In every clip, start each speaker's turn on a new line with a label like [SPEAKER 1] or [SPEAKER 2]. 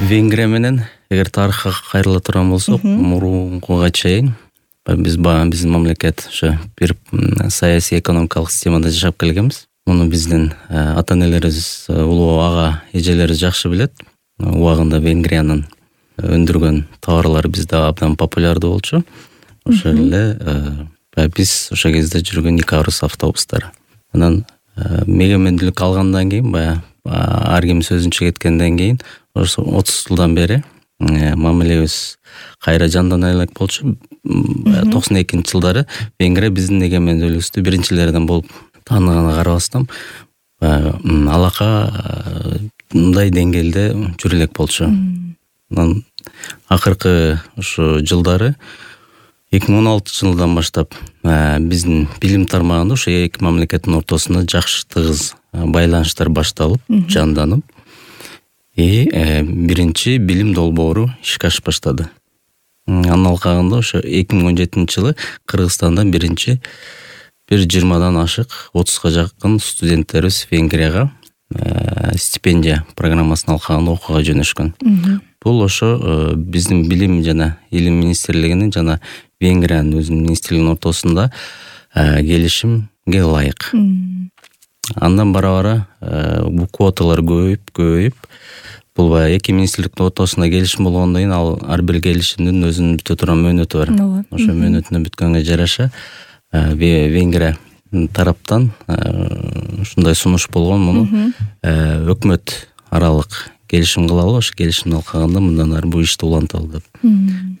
[SPEAKER 1] Венгрия менен эгер тарыхка кайрыла турган болсок, мурункуга чейин биздин мамлекет ошо бир саясий экономикалык системада жашап келгенбиз. Муну биздин ата-энелерибиз, улуу ага эжелерибиз жакшы билет. Убагында Венгриянын өндүргөн товарлары бизде абдан популярдуу болчу. Ошол эле биз ошол кезде жүргөн икарус автобустары. Анан мегемендүүлүк алгандан кийин ар ким сөзүнчө кеткенден кийин 30 жылдан бери мамилебиз кайра жандана элек болчу. 92-жылдары Венгрия биздин эгемендүүлүгүбүздү биринчилерден болуп тааныганга карабастан алака мындай деңгээлде жүрө элек болчу. Анан акыркы ушу жылдары 2016-жылдан баштап биздин билим тармагында ошо эки мамлекеттин ортосунда жакшы тыгыз байланыштар башталып, жанданып, биринчи билим долбоору ишке ашып баштады. Анын алкагында ошо 2017-жылы Кыргызстандан биринчи 20-дан ашык 30га жакын студенттерибиз Венгрияга стипендия программасын алкагында окууга жөнөшкөн. Бул ошо биздин билим жана илим министрлигинин жана Венгриянын өзүнүн министрлигинин ортосунда келишимге ылайык. Андан бара-бара бул квоталар көбөйүп, бул эки министрликтин ортосунда келишим болгондон кийин ар бир келишимдин өзүнүн бүтө турган мөөнөтү бар. Ошо мөөнөтүнө бүткөнгө жараша Венгрия тараптан ушундай сунуш болгон, муну өкмөт аралык келишим кылалы, ошо келишимдин алкагында мындан ары бул ишти уланталы деп.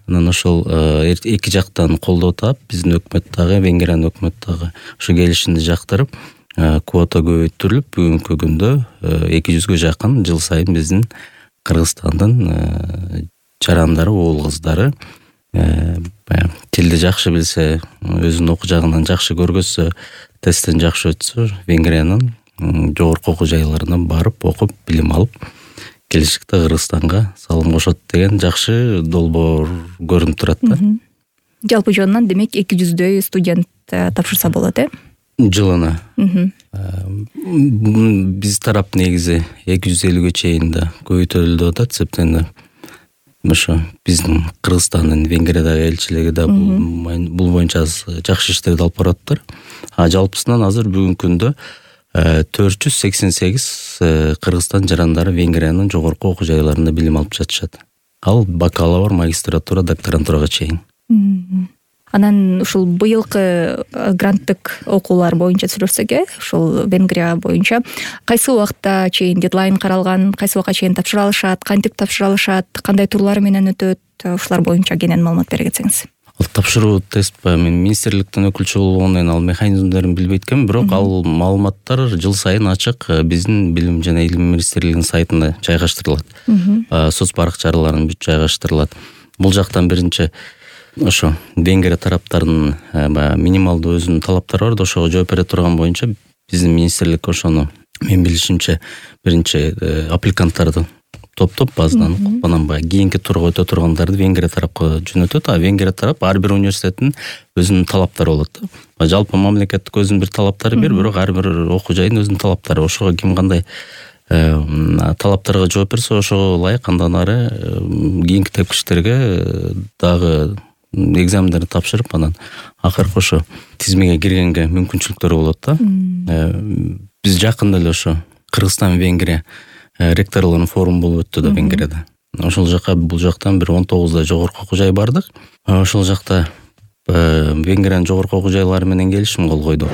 [SPEAKER 1] Анан ошол эки жактан колдоо таап, биздин өкмөт дагы, Венгриянын өкмөтү дагы ошо келишимди жактырып, квота көбөйтүрүлүп, бүгүнкү күндө 200ге жакын жыл сайын биздин Кыргызстандын жарандары, уул кыздары тилди жакшы билсе, өзүнүн окуу жагынан жакшы көргөзсө, тесттен жакшы өтсө, Венгриянын жогорку окуу жайларына барып, окуп, билим алып, келечекте Кыргызстанга салым кошот деген жакшы долбоор көрүнүп турат да.
[SPEAKER 2] Жалпы жонунан демек 200дөй студент тапшырса болот,
[SPEAKER 1] Жылына. Биз тарап негизи 250ге чейин да көбөйтөлүп атат, себептен ошо биздин Кыргызстандын Венгриядагы элчилиги да бул боюнча жакшы иштерди алып баратыптыр. Жалпысынан азыр бүгүнкү күндө 488 Кыргызстан жарандары Венгриянын жогорку окуу жайларында билим алып жатышат. Ал бакалавр, магистратура, докторантурага чейин.
[SPEAKER 2] Анан ушул быйылкы гранттык окуулар боюнча сүйлөшсөк, ушул Венгрия боюнча кайсы убакытта чейин дедлайн каралган, кайсы убакка чейин тапшыра алышат, кантип тапшыра алышат, кандай турлары менен өтөт, ушулар боюнча кенен маалымат бере кетсеңиз.
[SPEAKER 1] Ал тапшыруу тест мен министрликтен өкүлчү болгондон кийин ал механизмдерин билбейт экенмин, бирок ал маалыматтар жыл сайын ачык биздин билим жана илим министрлигинин сайтында жайгаштырылат. Соц баракчаларына бүт жайгаштырылат. Бул жактан биринчи ошо Венгрия тараптарынын минималдуу өзүнүн талаптары бар да, ошого жооп бере турган боюнча биздин министрлик ошону мен билишимче биринчи аппликанттарды топтоп базадан анан кийинки турга өтө тургандарды Венгрия тарапка жөнөтөт, а Венгрия тарап ар бир университеттин өзүнүн талаптары болот. Жалпы мамлекеттик өзүнүн бир талаптары бар, бирок ар бир окуу жайдын өзүнүн талаптары. Ошого ким кандай талаптарга жооп берсе, ошого ылайык андан ары кийинки тепкичтерге дагы экзамендерди тапшырып, анан акыркы ошо тизмеге киргенге мүмкүнчүлүктөр болот да. Биз жакында эле ошо Кыргызстан Венгрия ректорлорунун форуму болуп өттү да Венгрияда. Ошол жака бул жактан бир 19 жогорку окуу жай бардык. Ошол жакта Венгриянын жогорку окуу жайлары менен келишим кол койдук.